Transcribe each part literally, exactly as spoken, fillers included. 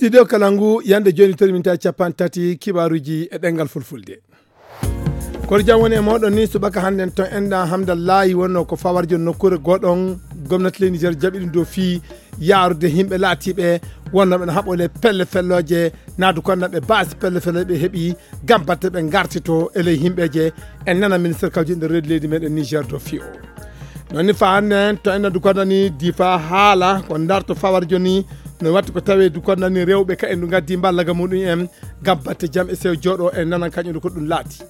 Studio Kalangu, yande joni toon min tawi capanɗe tati kibaruji e ɗengal fulfulde. Kono jam woni e moɗon ni subaka hannden to enɗan Hamdallahi wonno ko fawarjo nokkuure goɗon gomnati leydi Niger jaɓi ɗum dow fii yaarude yimɓe laatiiɓe wonno ɓe no haɓole pelle fellooje naadu kon ɓe baasi pelle fellooje ɓe heɓi gam batte ɓe ngartito e ley yimɓeje en nana ministre kawji nder reedu leydi meɗen Niger dow fii o. Noon ni fa hannden to enɗan du kondani difa haala ko ndarto fawarjo ni no watti ko tawe du kondani rewɓe ka en du ngaddi mballaga muɗum en gam batte jam e sew jooɗo en nanan kañum du ko ɗum laati.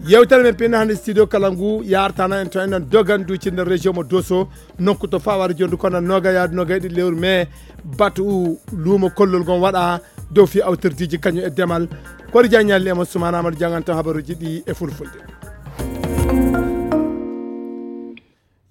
Yewtere men pinna hannde studio kala ngu yartana en to enɗan dogan duuci nder région mo Doso nokku to fawara jondu kono noga yaadu noga e ɗiɗi lewru mai batu luumo kollol ngon waɗa dow fi awtordiji kañum e demal. Kori jaññalli e mo sumana amadou janganta habaruji ɗi e fulfulde.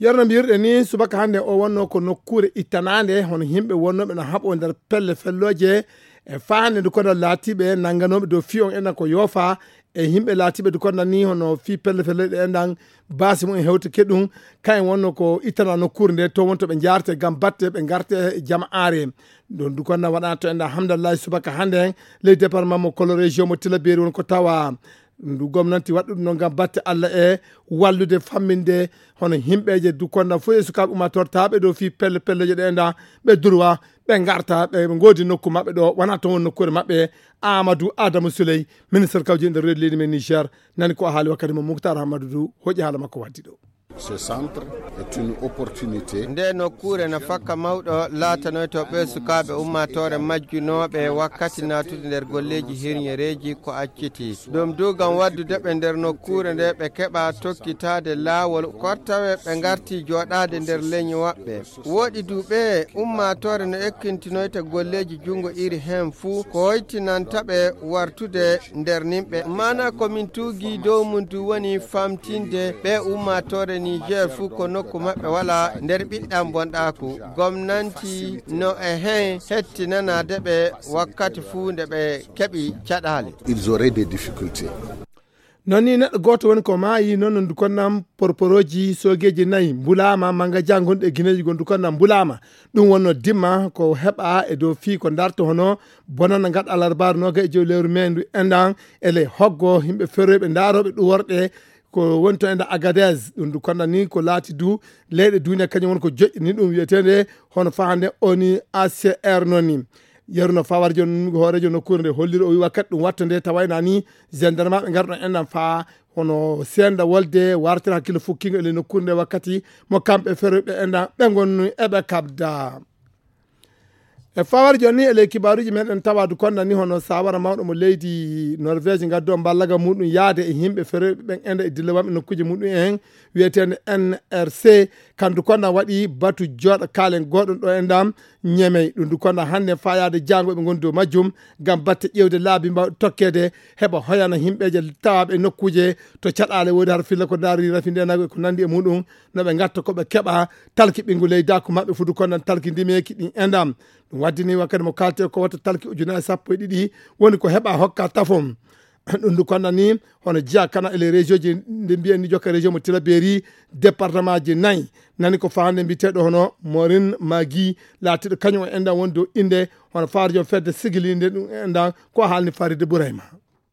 Yerno mbiyirɗe ni subaka hannde o wonno ko nokkuure ittanande hono yimɓe wonnoɓe no haɓo nder pelle fellooje e faande ndu kono laatiiɓe nannganoɓe dow fiyon enen ko yoofa e yimɓe laatiiɓe ndu kono ni hono fii pelle fellooje ɗe enɗan baasi mum e hewtike ɗum kayen wonno ko ittana nokkuure nde to wonto ɓe jaarte gam batte ɓe ngarte e jama aare. Ɗon ndu kono waɗa to enɗan hamdallahi subaka hannde ley département mo kolo région mo tilaberi won ko tawa ndu gomnanti waɗɗuɗum noon ngam batte Allah e wallude famminde hono yimɓeeje dukkonda fof e sukaaɓe ummatortaaɓe ɗo fii pelle pelleje ɗe enɗan ɓe durwa ɓe ngarta ɓe ngoodi nokku maɓɓe ɗo wona toon woni nokkuure maɓɓe. Amadou Adamou Souley ministre kawji nder reedu leydi men Niger nani ko haali wakkati mo Mouctar Amadou du hoƴi haala makko waddi ɗo. Ce centre est une opportunité. Nde nokkuure no fakka mawɗo laatanoyto ɓe sukaaɓe ummaatoore majjunooɓe wakkati naatude nder golleeji hirñereeji ko acciti ɗum du ngam waddude ɓe nder nokkuure nde ɓe keɓa tokkitaade laawol ko tawe ɓe ngarti jooɗaade nder leñi maɓɓe. Woɗi du ɓe ummaatoore no ekkintinoyta golleeji junngo iri heen fuu ko hoytinanta ɓe wartude nder nimɓe. Maana ko min tuugi dow mum du woni famtinde ɓe ummaatoore Niger fuu ko nokku maɓɓe wala nder ɓiɗɗan bonɗaaku. Gomnanti no e heen hettinanaade ɓe wakkati fuu nde ɓe keɓi caɗaale. Ils auraient des difficultés. Noon ni neɗɗo gooto woni ko maayi noon no ndu konnam porporooji soogeeji nayi mbulaama mannga jangonɗe e gineeji gon ndu konnam mbulaama. Ɗum wonno dimma ko heɓa e dow fii ko ndarto hono bonana ngaɗa alarbaar nooga e jowi lewru mee ndu enɗan e ley hoggo yimɓe ferooɓe ndaarooɓe ɗum worɗe ko woni to enɗan Agadez. Ɗum ndu konnam ni ko laati du leyɗe duuniya kañum woni ko joƴƴini ɗum wiyeteende hono fahande oni A C R noon ni. Yeru no fawarjo hoorejo nokkuure nde holliri o wi wakkati ɗum watta nde tawayna ni gendarmeɓe ngarɗo enɗan fa hono senda wolde wartira hakkille fukkingo e ley nokkuure nde wakkati mo kamɓe feroɓe enɗan ɓe gonnu eɓe kabda. E fawar joni e ley kibaruji meɗen tawadu konna ni hono sawara mawɗo mo leydi Norvège ngaddo ballaga muɗum yaade e yimɓe feroɓe ɓen enda e dillawamɓe nokkuji muɗum en wiyeteende N R C. Kandu konna waɗi batu joɗa kalen goɗon ɗo e ndam ñemey ɗum du konna hannde fayaade jaango ɓe ngoni dow majjum ngam batte ƴewde laabi mbawɗe tokkeede heɓa hoyana yimɓeeje tawaaɓe e nokkuuje to caɗaale woodi har filla ko ndaari rafi ndenago e ko nanndi e muɗum no ɓe ngatta ko ɓe keɓa talki ɓinngu leydaako maɓɓe fudu konnan talki ndimeeki ɗin e ndam. Ɗum waddini wakkati mo kaalte ko wata talki ujunaaji sappo e ɗiɗi woni ko heɓa hokka tafon. Ɗum ndu konna ni hono jeya kana e les région ji nde mbiyen ni jokka région mo tilaberi département ji nayi nani ko fahande mbiteɗo hono morin magi laatiɗo kañum o enɗan woni dow inde hono faarjo fedde sigilinde ɗum enɗan ko haalni faride burayma.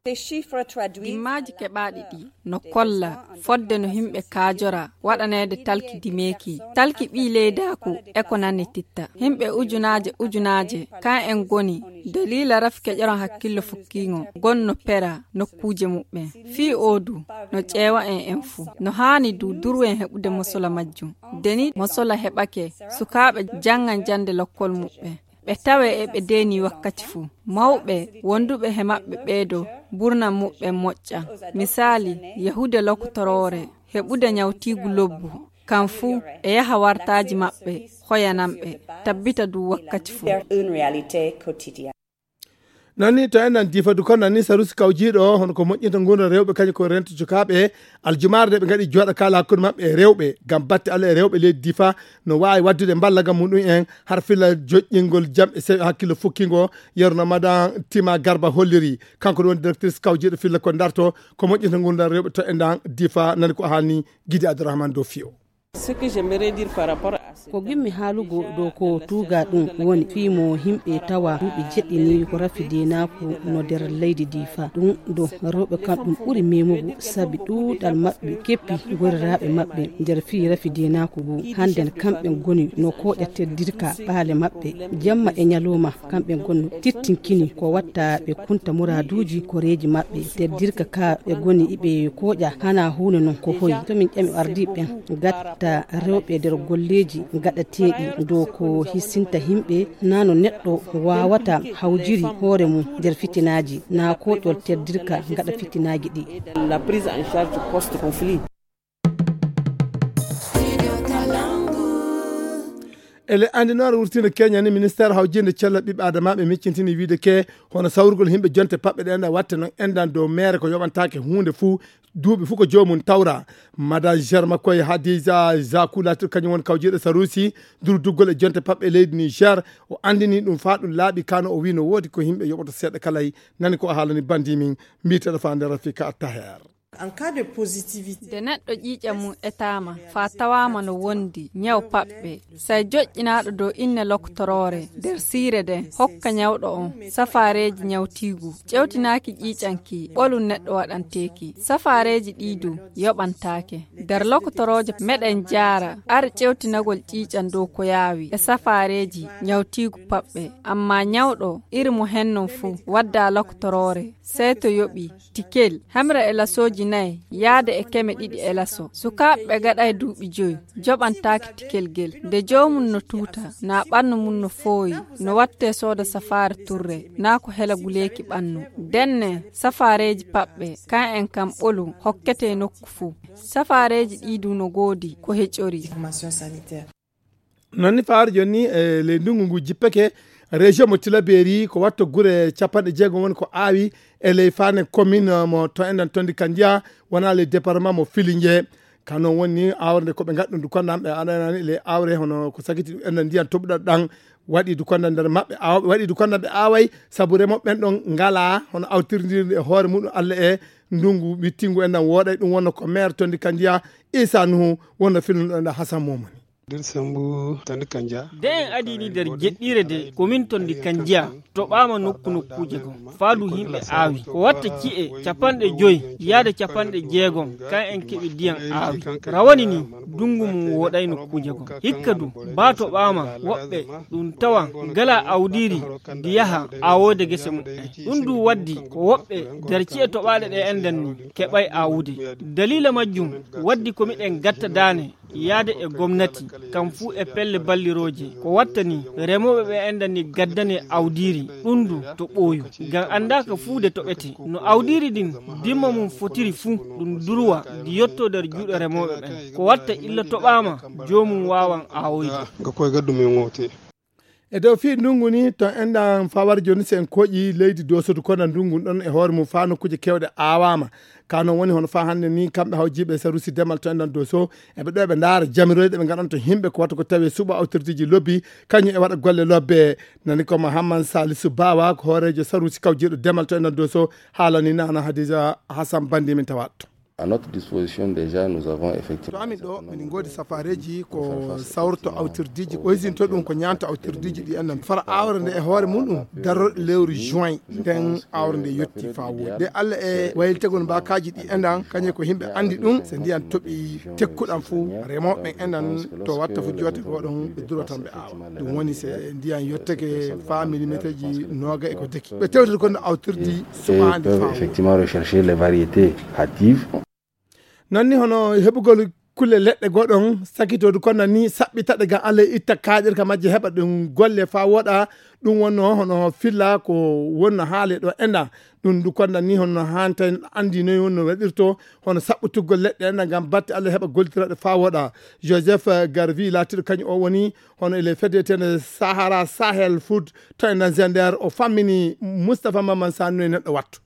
Ces chiffres traduits. Dimmaaji keɓaaɗi ɗi no kolla fodde no yimɓe kaajora waɗaneede talki dimeeki talki ɓii leydaaku e ko nanititta yimɓe ujunaaje ujunaaje kan en ngoni daliila rafi keƴoron hakkillo fukkiingo gonno pera nokkuuje muɓɓen fii oo du no ƴeewa en en fuu no haani du duru en heɓude mosola majjum deni mosola heɓake sukaaɓe janngan jannde lokkol muɓɓen ɓe tawe e ɓe deeni wakkati fuu mawɓe wonduɓe he maɓɓe ɓeedo burna muɓɓen moƴƴa misaali yahude lokotoroore heɓude ñawtiigu lobbu kan fuu e yaha wartaaji maɓɓe hoyanan ɓe tabbita du wakkati fuu. Nanni to enɗan difa du kon nanni sarusi kawjiiɗo hono ko moƴƴinta nguurndam rewɓe kañum ko rento cukaaɓe aljumaare nde ɓe ngaɗi jooɗa kaala hakkunde maɓɓe e rewɓe ngam batte allah e rewɓe leydi difa no waawi waɗdude mballagam muɗum en har filla joƴƴingol jam e sewi hakkille fukkingo. Yerno madan tima garba holliri kanko ɗum woni directrice kawjiiɗo filla ko darto ko moƴƴinta nguurndam rewɓe to enɗan difa nani ko haalni gidi abdourahmane dow fiyo. Ce que j'aimerais dire par rapport à Ko gimmi haalugo dow ko tuuga ɗum woni fii mo yimɓe tawa duuɓi jeɗɗi ni ko rafi deenaaku no nder leydi Difa. Ɗum do rewɓe kam ɗum ɓuri memugo sabi ɗuuɗal maɓɓe keppi goriraaɓe maɓɓe nder fii rafi deenaaku ngu. Hannden kamɓe ngoni no kooƴa teddirka ɓaale maɓɓe. Jamma e nyalooma kamɓe ngoni tittinkini ko watta ɓe kunta muraaduuji koreeji maɓɓe. Teddirka ka ɓe ngoni iɓe kooƴa hana huune non ko hoyi. To min ƴami ardiiɓe ɓen gatta rewɓe nder golleeji gaɗateeɗi dow ko hisinta yimɓe, na no neɗɗo waawata hawjiri hoore mum nder fitinaaji, na kooƴol teddirka gaɗa fitinaaji ɗi. La prise en charge post-conflit. Ele anndinoore wurtiinde Kenya ni, ministeer hawjinde cellal ɓiɓɓe adamaaɓe miccintini wiide ke hono sawrugol yimɓe jonte paɓɓe ɗen watte non enɗan dow meere ko yoɓantaake huunde fuu, duuɓi fuu ko joomum tawra. Madame Germa koye Hadiza Zaku laatiiɗo kañum woni kawjiiɗo Sarusi, durduggol e jonte paɓɓe leydi Niger, o anndini ɗum faa ɗum laaɓi kano, o wii no woodi ko yimɓe yoɓata seeɗa kalay. Nani ko o haalani bandi min, mbiiteɗo faa nder Rafika Taher. En cas de positivité. Nde neɗɗo ƴiiƴam mum etaama, faa tawaama no wondi ñaw paɓɓe, say joƴƴinaaɗo dow inne lokotoroore nder siire nden hokka ñawɗo on safaareeji ñawtiigu, ƴewtinaaki ƴiiƴam ki, ɓolum neɗɗo waɗanteeki. Safaareeji ɗii du yoɓantaake. Nder lokotorooje meɗen jaara ar ƴewtinagol ƴiiƴam dow ko yaawi e safaareeji ñawtiigu paɓɓe. Ammaa ñawɗo iri mo hen non fuu wadda lokotoroore, sey to yoɓi tikel, hemre e lasooji nayi yaade e keme ɗiɗi e laso. Sukaaɓe ɓe gaɗay duuɓi joyi joɓantaake tikel gel. Nde joomum no tuuta, naa ɓannu mum no fooyi, no wattee sooda safaare turre, naa ko hela guleeki ɓannu. Ndenne, safaareeji paɓɓe, kan en kam ɓolu, hokketee nokku fuu. Safaareeji ɗii du no goodi ko heƴori. Non ni fawaade jooni ni, e ley ndunngu ngu jippeke, région mo Tilaberi ko watto gure capanɗe jeegom woni ko aawi e ley faane commune mo to enɗan Tondi Kandiya, wona ley département mo Filinge. Ka non woni ni aawre nde ko ɓe ngaɗi ɗum du konda ɓe aɗanani ley aawre hono ko sakiti ɗum enɗan ndiyan toɓuɗan ɗan waɗi du konda nder maɓɓe aaw-, waɗi du konda ɓe aaway sabu remooɓe ɓen ɗon ngalaa hono awtirndirde e hoore muɗum Allah e ndunngu wittingu enɗan wooɗay. Ɗum wonno ko maire Tondi Kandiya Isa Nuhu wonno filnuɗo enɗan Hasan Momani. Dir Sambu Tandi Kanja. De en adii ni nder jeɗɗiire de, komin Tondi Kanjiya toɓaama nokku nokkuuje goo. Faa du yimɓe aawi. Ko watta ci'e capanɗe joy yaade capanɗe jeegom, kan en keɓi ndiyan aawi. Rawani ni, ndungu mum wooɗay nokkuuje goo. Hikka du, baa toɓaama woɓɓe ɗum tawa ngalaa awdiiri ndi yaha aawoyde gese muɓɓen. Ɗum du waddi ko woɓɓe nder ci'e toɓaaɗe ɗe enɗan ni keɓay aawude. Daliila majjum waddi ko miɗen gatta daane yaade e gomnati, kam fuu e pelle ballirooje. Ko watta ni, remooɓe ɓe enɗan ni gaddane awdiiri, ɗum du to ɓooyu. Ngam anndaaka fuu de toɓete. No awdiiri ndin dimma mum fotiri fuu, ɗum durwa ndi yottoo nder juuɗe remooɓe ɓen. Ko watta illa toɓaama, joomum waawan aawoyde. Nga koye gaddu men ŋoote. E dow fii ndungu ni, to enɗan fawar jooni, si en kooƴi leydi Dooso du konda ndungu ɗon e hoore mum faa nokkuuje keewɗe aawaama. Ka non woni hono faa hannde ni, kamɓe hawjiiɓe saruusi demal to enɗan Dooso, eɓe ɗo eɓe ndaara jamiroje ɗe ɓe ngaɗanta yimɓe ko watta ko tawi e suɓo awtirdeeji lobbi, kañum e waɗa golle lobbe. Nani ko Mahamman Salisu Bawa, ko hooreejo saruusi kawjiiɗo demal to enɗan Dooso, haalani Nana Hadiza Hassan Bandi min tawaat. À notre disposition déjà, nous avons effectivement To amin ɗo, min ngoodi safaareeji ko sawrto awtirdiiji, ko hisinto ɗum ko ñaanta awtirdiiji ɗi enɗan. Fara aawre nde e hoore muɗum, darorɗe lewru juin, nden aawre nde yotti faa woodi. De Alla e waylitegol mbaakaaji ɗi enɗan, kañum ko yimɓe anndi ɗum, so ndiyan toɓi tekkuɗan fuu, remooɓe ɓen enɗan to watta fuu joote goo ɗon, ɓe duro tan ɓe aawa. Ɗum woni so ndiyan yottake faa milimeeterji nooga e ko deki. Ɓe tewtata ko no awtirdi suɓaandi peuvent faa woodi. Effectivement rechercher les variétés hâtives. Non ni hono heɓugol kulle leɗɗe goo ɗon sakitoodu kono ni saɓɓitaɗe ngam Alla itta kaaƴirka majje heɓa ɗum golle faa woɗa. Ɗum wonno hono filla ko wonno haale ɗo enɗan. Ɗum ndu konda ni hono hanta en anndi noy wonno waɗirto hono saɓɓutugol leɗɗe enɗan ngam batte Alla heɓa gollitiraɗe faa woɗa. Joseph Garvey laatiiɗo kañum o woni hono e le fedetene Sahara Sahel Food to enɗan Zender, o fammini Moustapha Maman Sani noy neɗɗo wattu.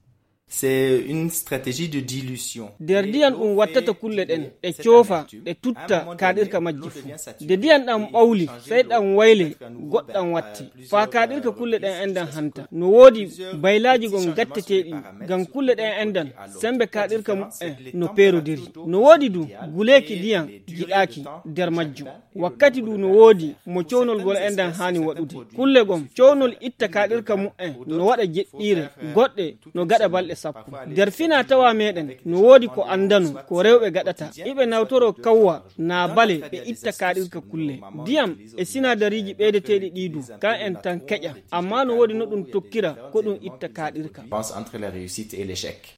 C'est une stratégie de dilution. Nder ndiyan ɗum wattata kulle ɗen, ɗe coofa, ɗe tutta kaaɗirka majji fuu. Nde ndiyan ɗan ɓawli, sey ɗan wayle, goɗɗan watti. Faa kaaɗirka kulle ɗen enɗan hanta. No woodi baylaaji gon gatteteeɗi, ngam kulle ɗen enɗan, sembe kaaɗirka mu'en no peerodiri. No woodi du guleeki ndiyan jiɗaaki nder majjum. Wakkati du no woodi mo cownol gol enɗan haani waɗude. Kulle gon, cownol itta kaaɗirka mu'en no waɗa jeɗɗiire, goɗɗe no gaɗa balɗe sappo. Nder fina tawa meɗen, no woodi ko andano, ko rewɓe gaɗata. Iɓe nawtoro kawwa naa bale ɓe itta kaaɗirka kulle. Ndiyam e sinadariiji ɓeydeteeɗi ɗii du, kan en tan keƴa. Amma no woodi no ɗum tokkira, ko ɗum itta kaaɗirka. Entre la réussite et l'échec.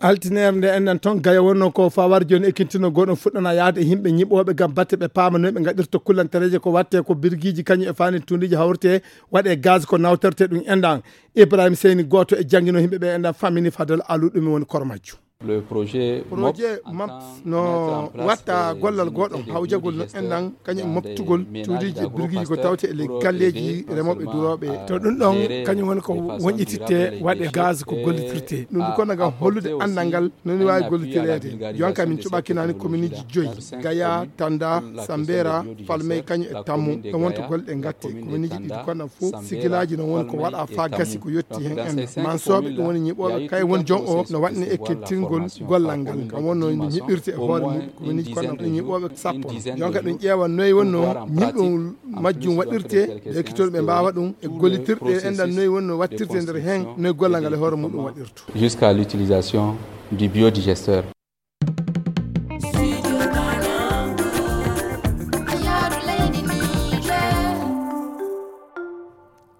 Altineere nde enɗan toon, Gaya wonno ko fawar jooni ekkintinol gooto fuɗɗana yahde e yimɓe ñiɓooɓe ngam batte ɓe paama no ɓe ngaɗirta kullantareeje ko watte ko birgiiji kañum e faani tundiiji hawrete waɗe gaz ko nawtorte ɗum enɗan. Ibrahim Seyni gooto e janngino yimɓe ɓe enɗan fammini Fadel Alu ɗum woni koro majjum. Le projet Projet MOPS MOPS no watta gollal gooto hawjagol no enɗan kañum moftugol cuuɗiiji e birgiiji ko tawte e ley galleeji remooɓe durooɓe. To ɗum ɗon kañum woni ko wonƴititte waɗe gaz ko gollitirte. Ɗum ɗum kono ngam hollude anndal ngal no ni waawi gollitireede. Jonka min cuɓakinaani kominiiji joyi: Gaya, Tanda, Sambera, Falmey kañum e Tammu. Ɗon wonto golle ɗe ngatte. Kominiiji ɗiɗi kono fof sigilaaji no woni ko waɗa faa gasi ko yotti heen en. Mansooɓe ɗum woni ñiɓooɓe kay woni jon o no waɗni ekkitingol gollal ngal. Kam wonno no ñiɓirte e hoore mum. Ko woni kono ɗum ñiɓooɓe sappo. Jonka ɗum ƴeewa noy wonno ñiɓɓol majjum waɗirte, ɓe ekkitol ɓe mbaawa ɗum e gollitirɗe enɗan noy wonno waɗtirte nder heen, noy gollal ngal e hoore muɗum waɗirto. Jusqu'à l'utilisation du biodigesteur.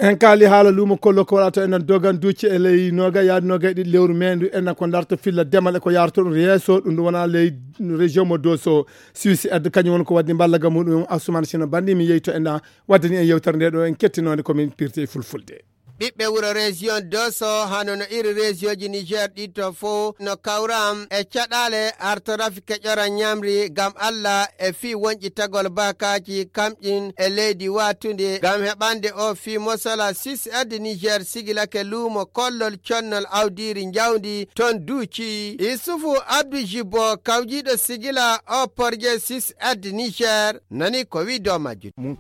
En kaali haala luumo kollo ko waɗata enen dogan duuci e ley noga yaade noga e ɗiɗi lewru mendu enen ko darta filla demal e ko yarata ɗum yeeso. Ɗum ɗum wona ley région mo doso. Suisse aide kañum woni ko waddi mballa ga muɗum Assoumane Sino Bandi mi yeyto en waddani en yewtere nde ɗo en kettinode komin pirti e fulfulde. Ɓiɓɓe wuro région doso hano no iri région ji Niger ɗi to fof no kawram e caɗale artorafi keƴora ñamri ngam Allah e fii wonƴitagol baakaaji kamƴin e leydi waatundi ngam heɓande o fii mosola. Sis Aide Niger sigilake luumo kollol connol awdiiri njawdi ton duuci. Isufu Abdu Jibo kawjiiɗo sigila o porje Sis Aide Niger nani ko wii dow majjum. Min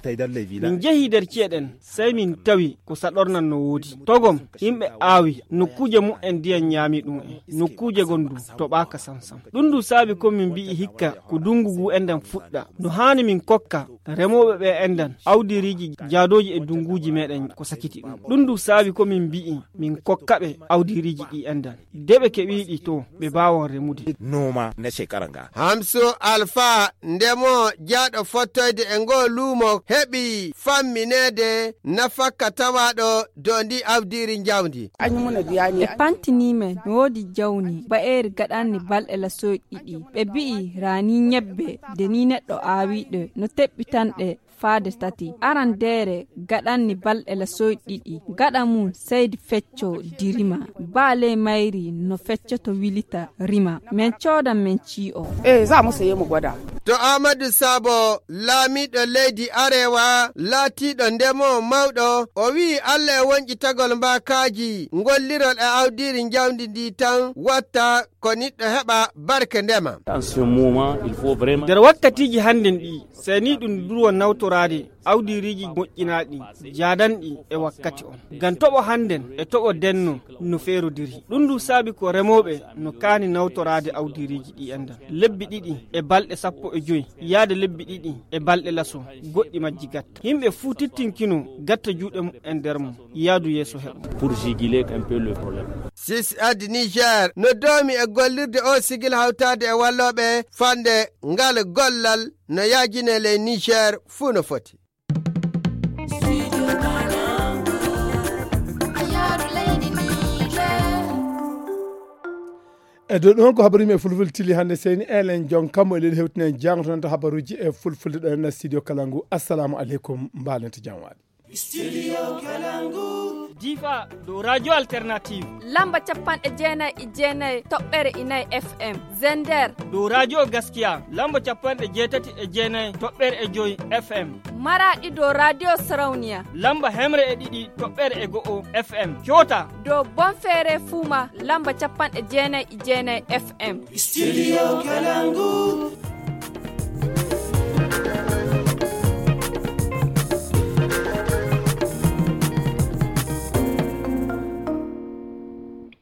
njehi nder ci'e ɗen, sey min tawi ko saɗornan no woodi. Togom, yimɓe aawi nokkuuje mu'en ndiyan ñaami ɗum en. Nokkuuje gon du toɓaaka sam sam. Ɗum du saabi ko min mbi'i hikka ko dungu ngu enɗan fuɗɗa. No haani min kokka remooɓe ɓe enɗan awdiriiji jaadooji e dunguuji meɗen ko sakiti ɗum. Ɗum du saabi ko min mbi'i min kokka ɓe awdiriiji ɗi enɗan. De ɓe keɓiiɗi to ɓe mbaawon remude. Noma na shekara nga. Hamsu Alfa ndemo jaaɗo fottoyde e ngoo luumo heɓi fammineede nafakka tawaaɗo dow ndi awdiiri njawdi. Ɓe pantini men no woodi jawni ba'eeri gaɗanni balɗe lasoy ɗiɗi. Ɓe bi'i raani ñebbe de ni neɗɗo aawiiɗe no teɓɓitanɗe faade tati. Arandeere gaɗanni balɗe lasoy ɗiɗi. Gaɗa mum seydi fecco dirima. Baa ley mayri no feccoto wilita rima. Men coodan men cii'o. Eh, za mu saye mu gwada. To Amadou Sabo, laamiiɗo leydi Arewa, laatiiɗo ndemo mawɗo, o wi'i Allah e wonƴitagol mbaakaaji, ngollirol e awdiiri njawdi ndi tan watta ko niɗɗo heɓa barke ndema. En ce moment, il faut vraiment Nder wakkatiiji hannden ɗi, sey ni ɗum durwa nawtoraade awdiiriiji moƴƴinaaɗi, jaadanɗi e wakkati on. Ngam toɓo hannden e toɓo denno no feerodiri. Ɗum du saabi ko remooɓe no kaani nawtoraade awdiiriiji ɗi enɗan. Lebbi ɗiɗi e balɗe sappo e joy, yaade lebbi ɗiɗi e balɗe laso, goɗɗi majji gatta. Yimɓe fuu tittinkino gatta juuɗe mumen nder mum, yaadu yeeso heɓo. Pour juguler un peu le problème. Sis Aide Niger no doomi e gollirde o sigil hawtaade e wallooɓe fande ngal gollal no yaajine ley Niger fuu no foti. E dow ɗum ko habaruuji e fulfulde tili hannde seyni elen jon kammo e leydi hewtinen jangto nanta habaruuji e fulfulde ɗo en studio kala ngu. Assalamu aleykum, mbalente jam waali. Studio Kalangu. Difa dow Radio Alternative. Lamba capanɗe jeenayi e jeenayi toɓɓere inayi F M. Zender. Dow Radio Gaskiya. Lamba capanɗe jeetati e jeenayi toɓɓere e joyi F M. Maraɗi dow Radio Sarauniya. Lamba hemre e ɗiɗi toɓɓere e go'o F M. Kyota. Dow Bonfere Fuma. Lamba capanɗe jeenayi e jeenayi F M. Studio Kalangu.